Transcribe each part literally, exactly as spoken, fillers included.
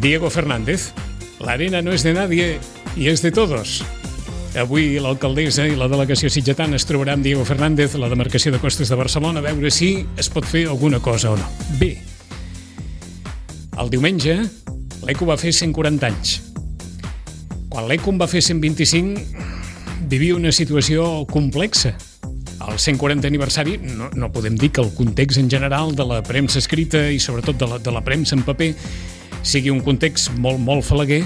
Diego Fernández. La arena no és de nadie i és de todos. Avui l'alcaldessa i la delegació sitgetana es trobarà amb Diego Fernández a la demarcació de Costes de Barcelona a veure si es pot fer alguna cosa o no. Bé, el diumenge l'Eco va fer cent quaranta anys. Quan l'Eco en va fer cent vint-i-cinc vivia una situació complexa. Al cent quarantè aniversari no, no podem dir que el context en general de la premsa escrita i sobretot de la, de la premsa en paper sigui un context molt, molt falaguer,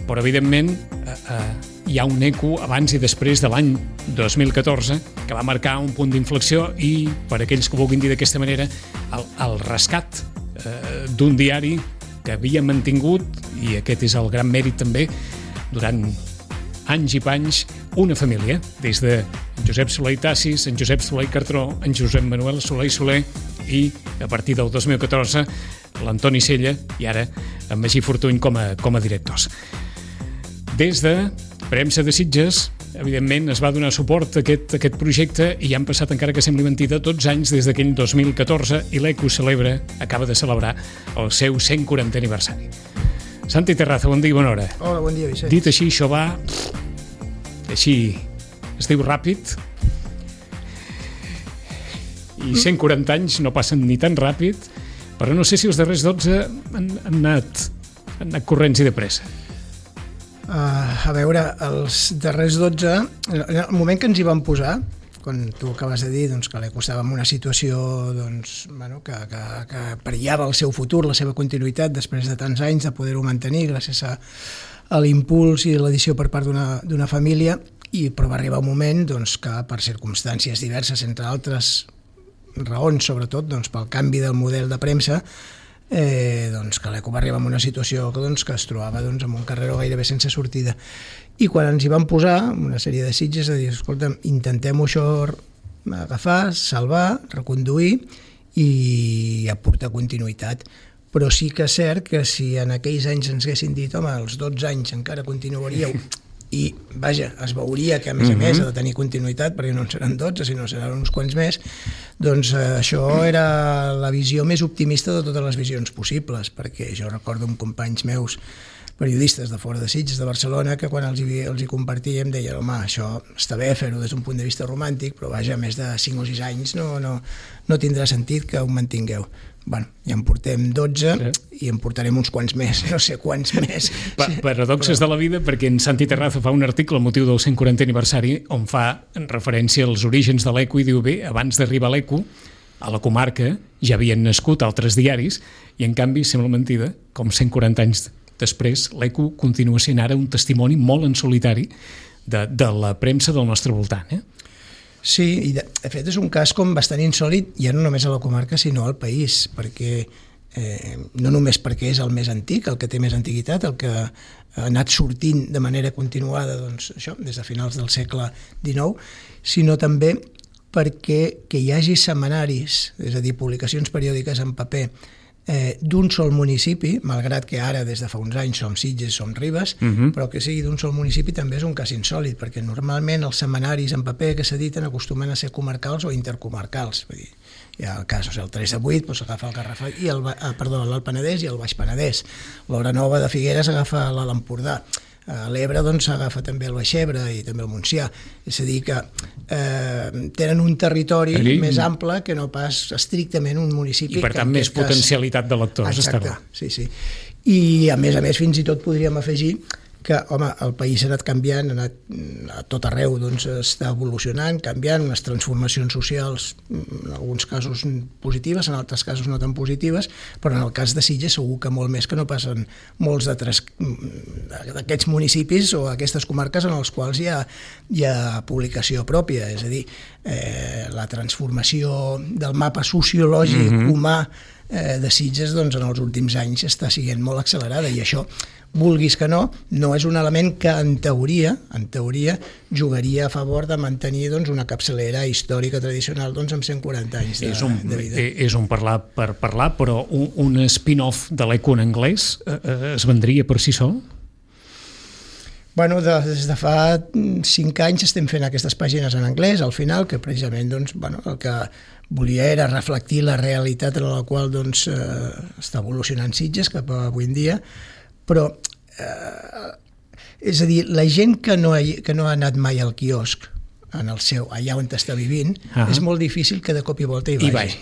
però evidentment eh, eh, hi ha un eco abans i després de l'any dos mil catorze que va marcar un punt d'inflexió i, per aquells que ho vulguin dir d'aquesta manera, el, el rescat eh, d'un diari que havia mantingut, i aquest és el gran mèrit també, durant anys i panys, una família, des de Josep Soler i Tassis, en Josep Soler i Cartró, en Josep Manuel Soler i Soler i, a partir del dos mil catorze, l'Antoni Sella i ara en Magí Fortuny com a, com a directors. Des de Premsa de Sitges, evidentment, es va donar suport a aquest, a aquest projecte i han passat, encara que sembli mentida, tots anys des d'aquell dos mil catorze i l'Eco celebra, acaba de celebrar el seu cent quarantè aniversari. Santi Terraza, bon dia i bona hora. Hola, bon dia, Vicent. Dit així, això va... Així, es diu ràpid. I cent quaranta anys no passen ni tan ràpid, però no sé si els darrers dotze han, han, anat, han anat corrents i de pressa. Uh, a veure, els darrers dotze, en el moment que ens hi vam posar, quan tu acabes de dir doncs, que l'Eco estava en una situació doncs, bueno, que, que, que perillava el seu futur, la seva continuïtat, després de tants anys de poder-ho mantenir gràcies a, a l'impuls i l'edició per part d'una, d'una família, i, però va arribar un moment doncs, que per circumstàncies diverses, entre altres raons, sobretot doncs, pel canvi del model de premsa, eh, doncs, que l'Eco va arribar en una situació doncs, que es trobava doncs, en un carreró gairebé sense sortida. I quan ens hi vam posar, una sèrie de sitges, a dir, escolta, intentem-ho això agafar, salvar, reconduir i aportar continuïtat. Però sí que és cert que si en aquells anys ens haguessin dit, home, als dotze anys encara continuaríeu, i, vaja, es veuria que, a més a més, ha de tenir continuïtat, perquè no en seran dotze, sinó seran uns quants més, doncs eh, això era la visió més optimista de totes les visions possibles, perquè jo recordo amb companys meus, periodistes de fora de Sitges, de Barcelona, que quan els hi, els hi compartíem deien, home, això està bé fer-ho des d'un punt de vista romàntic, però vaja, més de cinc o sis anys no, no, no tindrà sentit que ho mantingueu. Bueno, ja en portem dotze sí. I en portarem uns quants més, no sé quants més. Pa paradoxes però... de la vida, perquè en Santi Terraza fa un article al motiu del cent quarantè aniversari on fa referència als orígens de l'Eco i diu, bé, abans d'arribar a l'Eco, a la comarca ja havien nascut altres diaris i en canvi sembla mentida, com cent quaranta anys després, l'Eco continua sent ara un testimoni molt en solitari de, de la premsa del nostre voltant. Eh? Sí, i de, de fet és un cas com bastant insòlit, ja no només a la comarca sinó al país, perquè eh, no només perquè és el més antic, el que té més antiguitat, el que ha anat sortint de manera continuada doncs, això, des de finals del segle dinou, sinó també perquè que hi hagi setmanaris, és a dir, publicacions periòdiques en paper, Eh, d'un sol municipi, malgrat que ara des de fa uns anys som Sitges, som Ribes, uh-huh. però que sigui d'un sol municipi també és un cas insòlit, perquè normalment els setmanaris en paper que s'editen acostumen a ser comarcals o intercomarcals. Vull dir, hi ha el cas, o sigui, el tres de vuit doncs, agafa el Garrafal i el, ah, perdó, l'Alt Penedès i el Baix Penedès. L'Hora Nova de Figueres agafa l'Empordà. A l'Ebre doncs agafa també el Baixebre i també el Montsià, és a dir que eh, tenen un territori Allí... més ample que no pas estrictament un municipi. I per tant més cas... potencialitat de lectors. Exacte, sí, sí. I a més a més fins i tot podríem afegir que, home, el país ha anat canviant, ha anat a tot arreu, doncs està evolucionant, canviant, unes transformacions socials, en alguns casos positives, en altres casos no tan positives, però en el cas de Sitges segur que molt més que no passen molts d'aquests municipis o aquestes comarques en els quals hi ha, hi ha publicació pròpia, és a dir, eh, la transformació del mapa sociològic mm-hmm. humà eh, de Sitges doncs, en els últims anys està sent molt accelerada i això vulguis que no, no és un element que en teoria, en teoria jugaria a favor de mantenir doncs, una capçalera històrica tradicional doncs, amb cent quaranta anys de, és un, de vida. És un parlar per parlar, però un, un spin-off de l'Eco en anglès eh, es vendria per si sol? Bueno, des de fa cinc anys estem fent aquestes pàgines en anglès, al final, que precisament doncs, bueno, el que volia era reflectir la realitat en la qual doncs, eh, està evolucionant Sitges cap a avui en dia, però eh, és a dir, la gent que no, ha, que no ha anat mai al quiosc en el seu, allà on està vivint, uh-huh. és molt difícil que de cop i volta hi vagi. I vagi.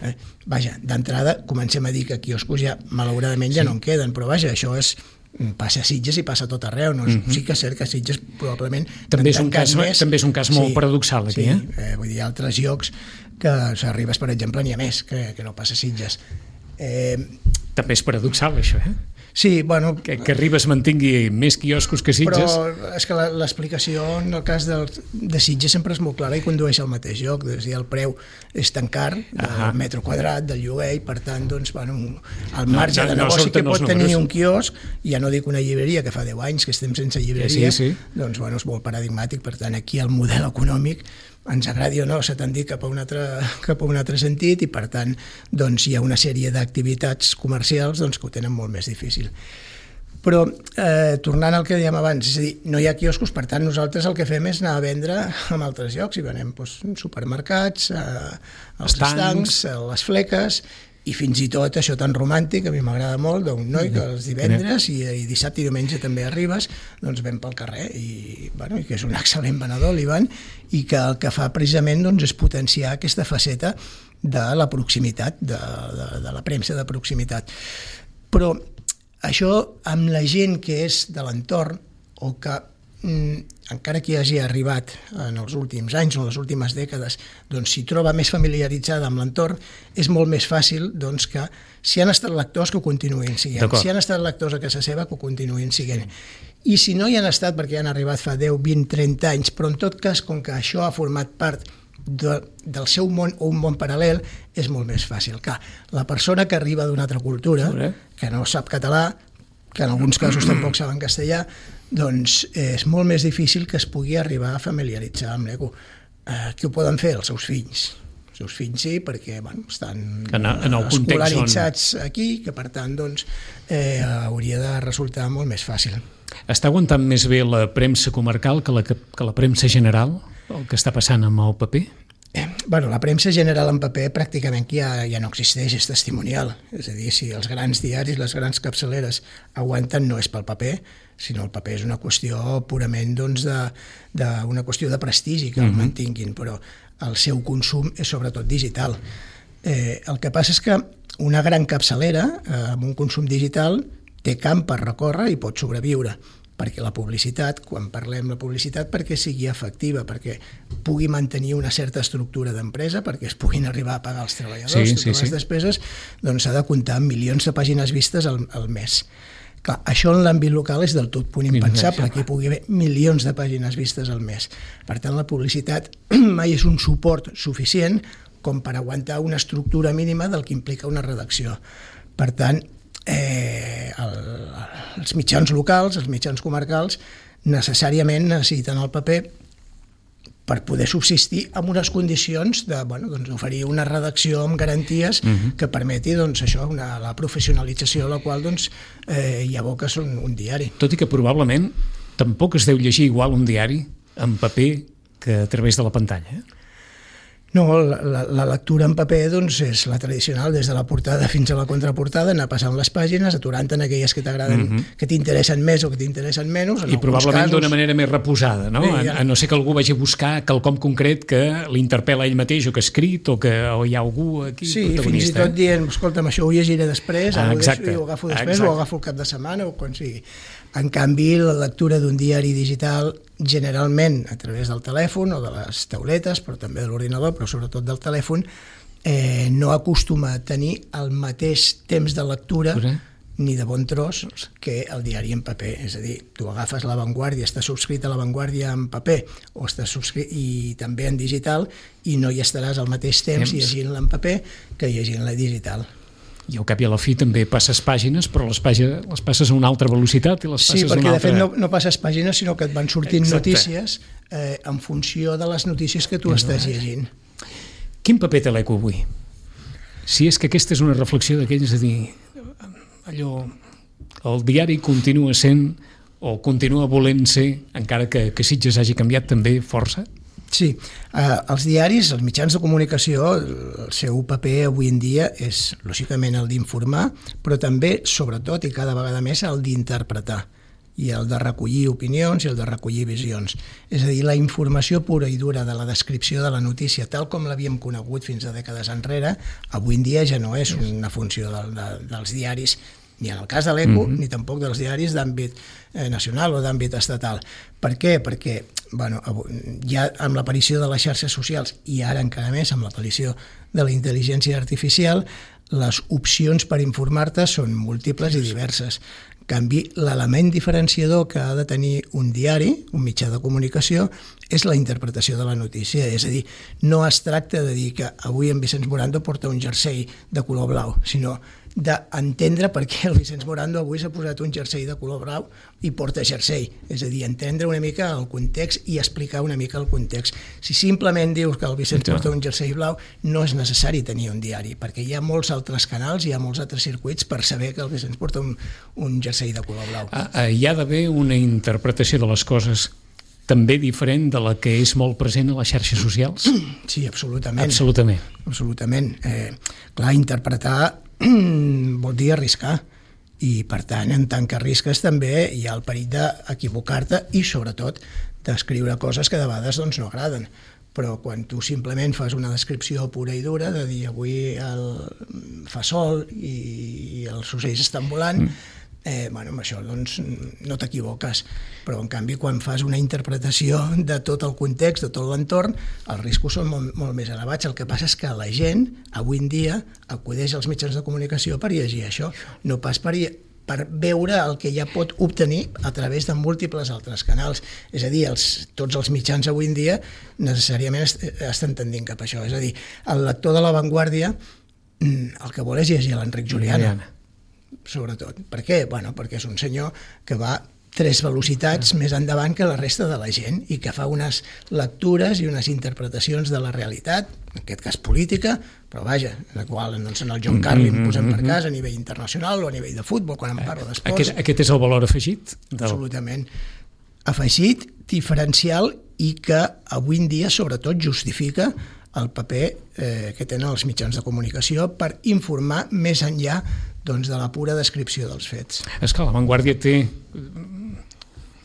Eh? Vaja, d'entrada comencem a dir que quioscos ja malauradament ja sí. no en queden, però vaja, això és passa a Sitges i passa a tot arreu, no? Uh-huh. Sí que és cert que a Sitges probablement també és un cas, més, també és un cas molt sí, paradoxal aquí, sí, eh? eh? Vull dir, altres llocs que s'arribes, per exemple, n'hi ha més que, que no passa a Sitges. Eh... També és paradoxal això, eh? Sí, bueno... Que, que Ribes mantingui més quioscos que Sitges. Però és que l'explicació en el cas del, de Sitges sempre és molt clara i condueix al mateix lloc, és a dir, el preu és tan car del uh-huh. metro quadrat, del lloguer, i per tant, doncs, bueno, el marge no, no, de negoci no que pot tenir un quiosc, ja no dic una llibreria, que fa deu anys que estem sense llibreria, sí, sí. doncs, bueno, és molt paradigmàtic, per tant, aquí el model econòmic ens agradi o no, s'ha tendit cap a un altre, cap a un altre sentit i per tant doncs, hi ha una sèrie d'activitats comercials doncs, que ho tenen molt més difícil. Però eh, tornant al que dèiem abans, és a dir, no hi ha quioscos, per tant nosaltres el que fem és anar a vendre en altres llocs i venem doncs, supermercats, eh, els estancs, eh, les fleques i fins i tot això tan romàntic, a mi m'agrada molt, d'un noi que els divendres i, i dissabte i diumenge també arribes, doncs ven pel carrer i, bueno, i que és un excel·lent venedor, l'Ivan, i que el que fa precisament doncs, és potenciar aquesta faceta de la proximitat, de, de, de la premsa de proximitat. Però això amb la gent que és de l'entorn o que encara que hi hagi arribat en els últims anys o en les últimes dècades, doncs s'hi troba més familiaritzada amb l'entorn, és molt més fàcil doncs, que si han estat lectors que ho continuïn siguent, si han estat lectors a casa seva que ho continuïn siguent. I si no hi han estat perquè han arribat fa deu, vint, trenta anys, però en tot cas, com que això ha format part de, del seu món o un món paral·lel, és molt més fàcil. Clar, la persona que arriba d'una altra cultura, que no sap català, que en alguns casos tampoc saben castellà, doncs és molt més difícil que es pugui arribar a familiaritzar amb l'eco. Eh, què ho poden fer? Els seus fills. Els seus fills sí, perquè bueno, estan en, en escolaritzats on... aquí, que per tant doncs, eh, hauria de resultar molt més fàcil. Està aguantant més bé la premsa comarcal que la, que la premsa general, el que està passant amb el paper? Eh, bueno, la premsa general en paper pràcticament ja, ja no existeix, és testimonial. És a dir, si els grans diaris, les grans capçaleres aguanten, no és pel paper, sinó el paper és una qüestió purament doncs, de, de, una qüestió de prestigi que el mm-hmm. mantinguin, però el seu consum és sobretot digital. Eh, el que passa és que una gran capçalera eh, amb un consum digital té camp per recórrer i pot sobreviure, perquè la publicitat, quan parlem de publicitat, perquè sigui efectiva, perquè pugui mantenir una certa estructura d'empresa, perquè es puguin arribar a pagar els treballadors, sí, totes sí, les sí. despeses, doncs s'ha de comptar amb milions de pàgines vistes al, al mes. Clar, això en l'àmbit local és del tot punt impensable, que hi pugui haver milions de pàgines vistes al mes. Per tant, la publicitat mai és un suport suficient com per aguantar una estructura mínima del que implica una redacció. Per tant, Eh, el, els mitjans locals, els mitjans comarcals, necessàriament necessiten el paper per poder subsistir en unes condicions de, bueno, doncs, oferir una redacció amb garanties uh-huh. que permeti doncs, això, una, la professionalització a la qual doncs, eh, hi aboques un, un diari. Tot i que probablement tampoc es deu llegir igual un diari en paper que a través de la pantalla, eh? No, la, la, la lectura en paper doncs, és la tradicional, des de la portada fins a la contraportada, anar passant les pàgines, aturant-te en aquelles que t'agraden, mm-hmm. que t'interessen més o que t'interessen menys. I probablement casos... d'una manera més reposada, no? Bé, ja... a, a no ser que algú vagi a buscar quelcom concret que l'interpel·la ell mateix o que ha escrit o que o hi ha algú aquí sí, protagonista. Sí, fins i tot dient, escolta'm, això ho llegiré després, ah, ho, deixo, ho agafo després exacte. O ho agafo el cap de setmana o quan sigui. En canvi, la lectura d'un diari digital, generalment a través del telèfon o de les tauletes, però també de l'ordinador, però sobretot del telèfon, eh, no acostuma a tenir el mateix temps de lectura ni de bon tros que el diari en paper. És a dir, tu agafes La Vanguardia, estàs subscrit a La Vanguardia en paper o estàs subscrit i també en digital i no hi estaràs al mateix temps, temps. llegint-la en paper que llegint-la digital. I al cap i a la fi també passes pàgines, però les, pàgines, les passes a una altra velocitat i les passes sí, a una altra... Sí, perquè de fet no, no passes pàgines, sinó que et van sortint Exacte. notícies eh, en funció de les notícies que tu Exacte. estàs llegint. Quin paper té l'Eco avui? Si és que aquesta és una reflexió d'aquells, és a dir, allò, el diari continua sent o continua volent ser, encara que, que Sitges hagi canviat també força? Sí, eh, els diaris, els mitjans de comunicació, el seu paper avui en dia és, lògicament, el d'informar, però també, sobretot i cada vegada més, el d'interpretar i el de recollir opinions i el de recollir visions. És a dir, la informació pura i dura de la descripció de la notícia, tal com l'havíem conegut fins a dècades enrere, avui en dia ja no és una funció de, de, dels diaris, ni en el cas de l'Eco, mm-hmm. ni tampoc dels diaris d'àmbit eh, nacional o d'àmbit estatal. Per què? Perquè bueno, ja amb l'aparició de les xarxes socials i ara encara més amb l'aparició de la intel·ligència artificial, les opcions per informar-te són múltiples i diverses. En canvi, l'element diferenciador que ha de tenir un diari, un mitjà de comunicació, és la interpretació de la notícia. És a dir, no es tracta de dir que avui en Vicenç Morando porta un jersei de color blau, sinó d'entendre per què el Vicenç Morando avui s'ha posat un jersei de color blau i porta jersei. És a dir, entendre una mica el context i explicar una mica el context. Si simplement dius que el Vicenç porta un jersei blau, no és necessari tenir un diari, perquè hi ha molts altres canals, hi ha molts altres circuits per saber que el Vicenç porta un, un jersei de color blau. Ah, hi ha d'haver una interpretació de les coses també diferent de la que és molt present a les xarxes socials? Sí, absolutament. Absolutament. Absolutament. Eh, clar, interpretar vol dir arriscar i per tant en tant que arrisques també hi ha el perill d'equivocar-te i sobretot d'escriure coses que de vegades doncs, no agraden, però quan tu simplement fas una descripció pura i dura de dir avui el fa sol i els ocells estan volant, mm. Eh, bueno, amb això doncs, no t'equivoques, però en canvi quan fas una interpretació de tot el context, de tot l'entorn, els riscos són molt, molt més elevats. El que passa és que la gent avui en dia acudeix als mitjans de comunicació per llegir això, no pas per, per veure el que ja pot obtenir a través de múltiples altres canals. És a dir, els, tots els mitjans avui en dia necessàriament est, estan tendint cap a això. És a dir, el lector de La Vanguardia el que vol és llegir l'Enric Juliana. Sobretot. Per què? Bueno, perquè és un senyor que va tres velocitats més endavant que la resta de la gent i que fa unes lectures i unes interpretacions de la realitat, en aquest cas política, però vaja, en la qual doncs, en el John Carlin posem per cas a nivell internacional o a nivell de futbol, quan em parlo d'esports. Aquest, aquest és el valor afegit? Del... Absolutament. Afegit, diferencial i que avui en dia sobretot justifica el paper eh, que tenen els mitjans de comunicació per informar més enllà doncs, de la pura descripció dels fets. És que La Vanguardia té,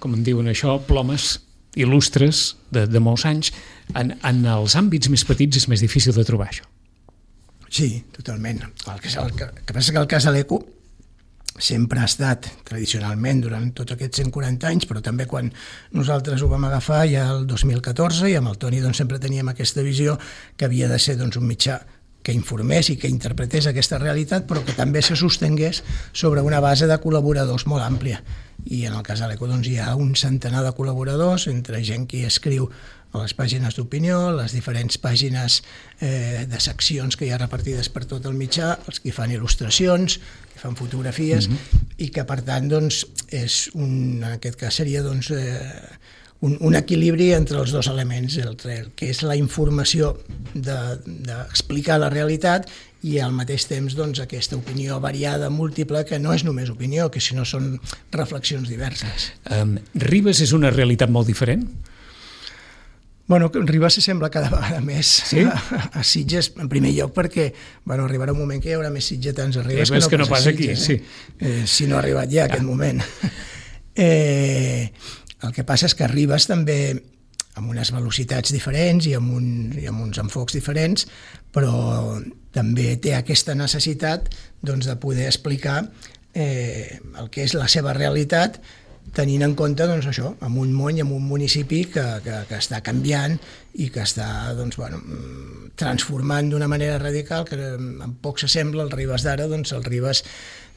com en diuen això, plomes il·lustres de, de molts anys. En, en els àmbits més petits és més difícil de trobar això. Sí, totalment. El que, el que, el que passa que el cas de l'Eco sempre ha estat, tradicionalment, durant tots aquests cent quaranta anys, però també quan nosaltres ho vam agafar ja el dos mil catorze i amb el Toni doncs, sempre teníem aquesta visió que havia de ser doncs, un mitjà que informés i que interpretés aquesta realitat, però que també se sostengués sobre una base de col·laboradors molt àmplia. I en el cas de l'Eco doncs, hi ha un centenar de col·laboradors, entre gent que escriu a les pàgines d'opinió, les diferents pàgines eh, de seccions que hi ha repartides per tot el mitjà, els que fan il·lustracions, que fan fotografies, mm-hmm. i que per tant doncs, és un, en aquest cas seria doncs, eh, un, un equilibri entre els dos elements, el, el que és la informació d'explicar de, la realitat i al mateix temps doncs, aquesta opinió variada, múltiple, que no és només opinió, que sinó són reflexions diverses. Um, Ribes és una realitat molt diferent? Bueno, Ribes s'assembla cada vegada més sí? a, a Sitges, en primer lloc perquè bueno, arribarà un moment que hi haurà més sitgetans a Ribes que no, que no pas, pas a Sitges. Aquí, sí. eh, si no ha arribat ja aquest moment. Eh, el que passa és que Ribes també amb unes velocitats diferents i amb, un, i amb uns enfocs diferents, però també té aquesta necessitat doncs, de poder explicar eh, el que és la seva realitat, tenint en compte doncs, això, amb un món i amb un municipi que, que, que està canviant i que està doncs, bueno, transformant d'una manera radical que en poc s'assembla al Ribes d'ara, doncs, el Ribes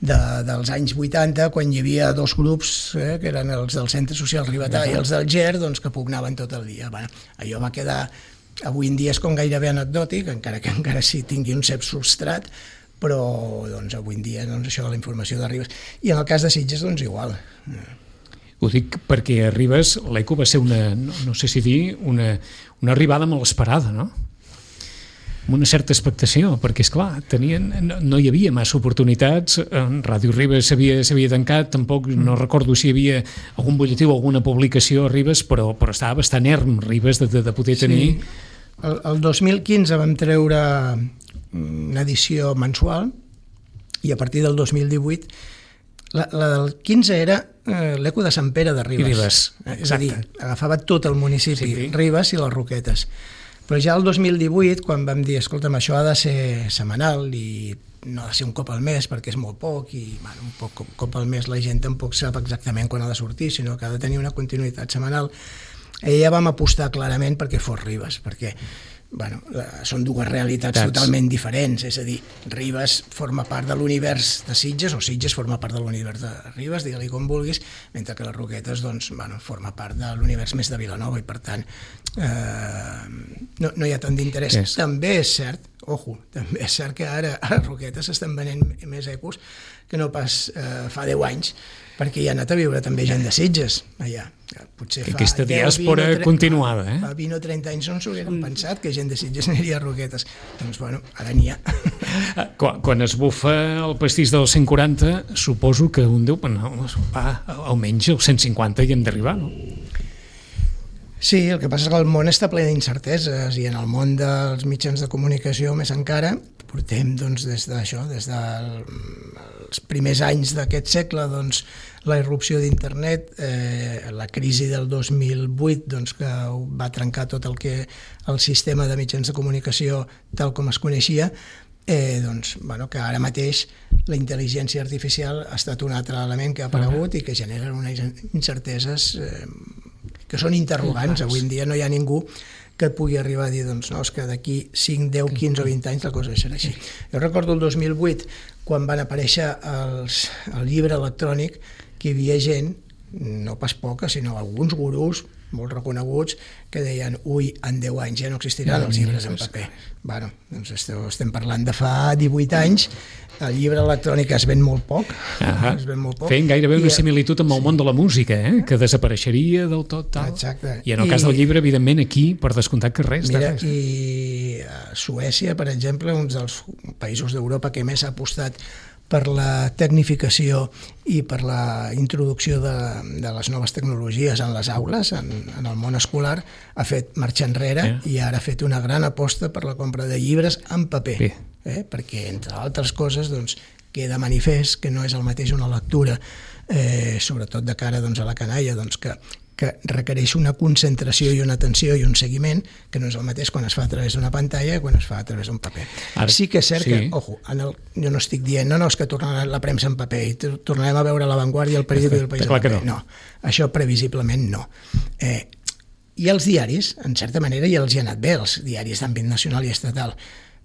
de, dels anys vuitanta, quan hi havia dos grups, eh, que eren els del Centre Social Ribetà i els del Ger, doncs, que pugnaven tot el dia. Bueno, allò va quedar, avui en dia és com gairebé anecdòtic, encara que encara sí tingui un cert substrat, però doncs, avui en dia doncs, això, la informació de Ribes. I en el cas de Sitges, doncs igual. Ho dic perquè a Ribes l'Eco va ser una, no, no sé si dir, una, una arribada molt esperada, no? amb una certa expectació, perquè, esclar, tenien, no, no hi havia massa oportunitats, Ràdio Ribes s'havia tancat, tampoc mm. no recordo si hi havia algun butlletí o alguna publicació a Ribes, però, però estava bastant erm Ribes de, de, de poder tenir... Sí. El, el dos mil quinze vam treure una edició mensual i a partir del dos mil divuit la, la del quinze era eh, l'Eco de Sant Pere de Ribes. Ribes, és a dir, agafava tot el municipi, sí. Ribes i les Roquetes. Però ja el dos mil divuit, quan vam dir, escolta'm, això ha de ser setmanal i no ha de ser un cop al mes perquè és molt poc i bueno, un poc, cop al mes la gent tampoc sap exactament quan ha de sortir, sinó que ha de tenir una continuïtat setmanal. I ja vam apostar clarament perquè fos Ribes, perquè bueno, la, són dues realitats Tats. totalment diferents, és a dir, Ribes forma part de l'univers de Sitges o Sitges forma part de l'univers de Ribes, digue-li com vulguis, mentre que les Roquetes doncs, bueno, forma part de l'univers més de Vilanova i per tant eh, no, no hi ha tant d'interès. Yes. També és cert, ojo, també és cert que ara a les Roquetes s'estan venent més ecos que no pas eh, fa deu anys, perquè hi ha anat a viure també gent de Sitges allà. Potser fa aquesta diàspora continuada, eh? Fa vint o trenta anys no s'ho hagueren pensat que gent de Sitges aniria a Roquetes. Doncs bueno, ara n'hi ha. Quan, quan es bufa el pastís dels cent quaranta, suposo que un diu, no, va, almenys els cent cinquanta hi hem d'arribar, no? Sí, el que passa és que el món està ple d'incerteses i en el món dels mitjans de comunicació més encara portem doncs, des d'això, des dels primers anys d'aquest segle, doncs, la irrupció d'internet, eh, la crisi del dos mil vuit doncs, que va trencar tot el que el sistema de mitjans de comunicació tal com es coneixia, eh, doncs, bueno, que ara mateix la intel·ligència artificial ha estat un altre element que ha aparegut i que genera unes incerteses eh, que són interrogants. Avui en dia no hi ha ningú que et pugui arribar a dir doncs, no, és que d'aquí cinc, deu, quinze o vint anys la cosa serà així. Jo recordo el dos mil vuit, quan van aparèixer els, el llibre electrònic, que hi havia gent, no pas poca, sinó alguns gurús molt reconeguts, que deien ui, en deu anys ja no existiran els llibres en paper. Bueno, doncs estem parlant de fa divuit anys, el llibre electrònic es ven molt poc, ah es ven molt poc. Feien gairebé una similitud amb el sí. món de la música, eh? Que desapareixeria del tot tal. Exacte. I en el I, cas del llibre, evidentment, aquí, per descomptat que res. Mira, res. I a Suècia, per exemple, un dels països d'Europa que més ha apostat per la tecnificació i per la introducció de, de les noves tecnologies en les aules, en, en el món escolar, ha fet marxa enrere eh? i ara ha fet una gran aposta per la compra de llibres en paper, eh? Eh? perquè, entre altres coses, doncs, queda manifest que no és el mateix una lectura, eh, sobretot de cara doncs, a la canalla, doncs, que, que requereix una concentració i una atenció i un seguiment que no és el mateix quan es fa a través d'una pantalla que quan es fa a través d'un paper. Ara, sí que és cert sí. que, ojo, en el, jo no estic dient no, no, és que tornarà la premsa en paper i tornarem a veure La Vanguardia, El Periódico i El País en paper. No. no, això previsiblement no. Eh, I els diaris, en certa manera, ja els hi ha anat bé, els diaris d'àmbit nacional i estatal,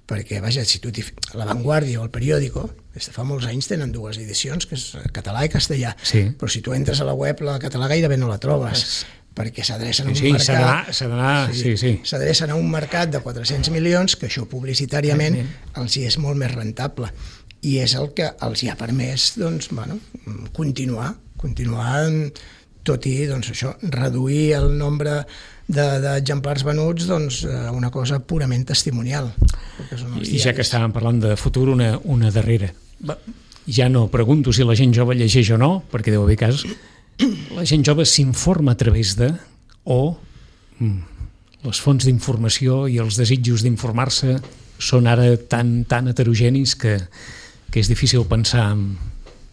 perquè, vaja, si tu La Vanguardia o El Periódico, des de fa molts anys tenen dues edicions, que és català i castellà, sí. però si tu entres a la web, la català gairebé no la trobes, sí. perquè s'adrecen a un sí, mercat sí, sí, sí. s'adrecen a un mercat de quatre-cents milions, que això publicitàriament sí, sí. els hi és molt més rentable, i és el que els hi ha permès doncs, bueno, continuar, continuar tot i doncs, això, reduir el nombre d'exemplars venuts doncs, a una cosa purament testimonial. I ja que estàvem parlant de futur, una, una darrera. Ja no pregunto si la gent jove llegeix o no, perquè deu haver cas. La gent jove s'informa a través de o mm, les fonts d'informació i els desitjos d'informar-se són ara tan, tan heterogenis que, que és difícil pensar en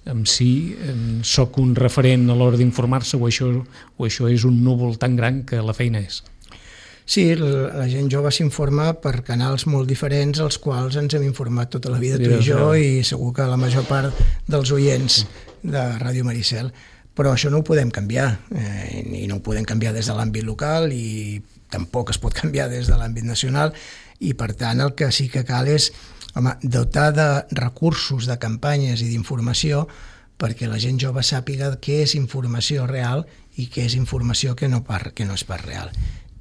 en si en soc un referent a l'hora d'informar-se o això, o això és un núvol tan gran que la feina és. Sí, la gent jove s'informa per canals molt diferents als quals ens hem informat tota la vida, tu i jo, i segur que la major part dels oients de Ràdio Maricel. Però això no ho podem canviar, eh, i no ho podem canviar des de l'àmbit local i tampoc es pot canviar des de l'àmbit nacional, i per tant el que sí que cal és home, dotar de recursos, de campanyes i d'informació perquè la gent jove sàpiga què és informació real i què és informació que no, par, que no és pas real.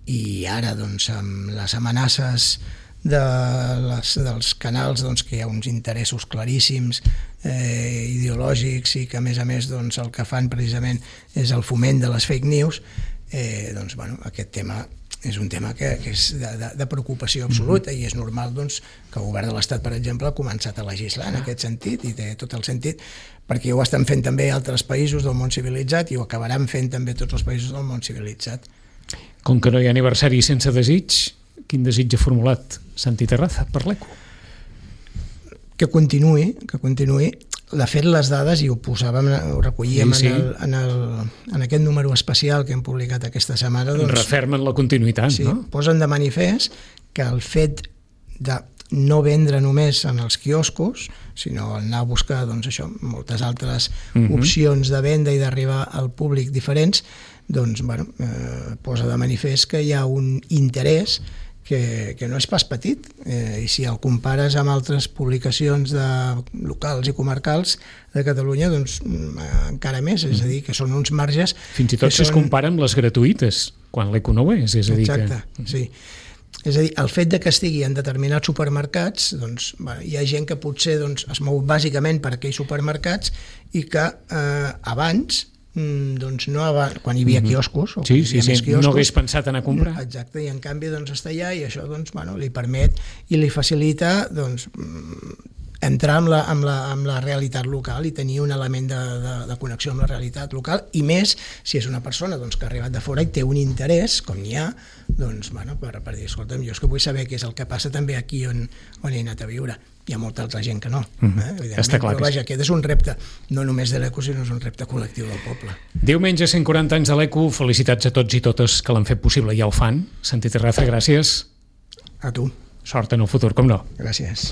I ara, doncs, amb les amenaces de les, dels canals, doncs, que hi ha uns interessos claríssims, eh, ideològics, i que, a més a més, doncs, el que fan precisament és el foment de les fake news, eh, doncs, bueno, aquest tema és un tema que, que és de, de, de preocupació absoluta, mm-hmm. i és normal doncs, que el govern de l'Estat, per exemple, ha començat a legislar en aquest sentit, i té tot el sentit, perquè ho estan fent també altres països del món civilitzat i ho acabaran fent també tots els països del món civilitzat. Com que no hi ha aniversari sense desig, quin desig ha formulat Santi Terraza per l'Eco? Que continuï, que continuï. De fet, les dades, i ho posàvem, ho recollíem sí, sí. En, el, en, el, en aquest número especial que hem publicat aquesta setmana. Doncs, refermen la continuïtat, sí, no? Posen de manifest que el fet de no vendre només en els quioscos, sinó anar a buscar doncs, això, moltes altres uh-huh. opcions de venda i d'arribar al públic diferents, doncs, bueno, eh, posa de manifest que hi ha un interès que, que no és pas petit, eh, i si el compares amb altres publicacions de locals i comarcals de Catalunya, doncs eh, encara més, és a dir, que són uns marges... Fins i tot si són... es compara amb les gratuïtes, quan l'Eco no ho és, és a dir Exacte, que... sí. És a dir, el fet de que estigui en determinats supermercats, doncs, bueno, hi ha gent que potser doncs, es mou bàsicament per aquells supermercats i que eh, abans doncs no abans, quan hi havia quioscos, o sí, sí, sí. quioscos, no hagués pensat en a comprar. Exacte, i en canvi doncs, està allà i això doncs, bueno, li permet i li facilita doncs, entrar amb la, amb, la, amb la realitat local i tenir un element de, de, de connexió amb la realitat local, i més si és una persona doncs, que ha arribat de fora i té un interès, com n'hi ha, doncs, bueno, per, per dir, escolta'm, jo és que vull saber què és el que passa també aquí on, on he anat a viure. Hi ha molta altra gent que no. Mm-hmm. Eh? Està clar. Però vaja, aquest és un repte, no només de l'Eco, sinó és un repte col·lectiu del poble. Diumenge, cent quaranta anys de l'Eco, felicitats a tots i totes que l'han fet possible i ja ho fan. Santi Terraza, gràcies. A tu. Sort en el futur, com no. Gràcies.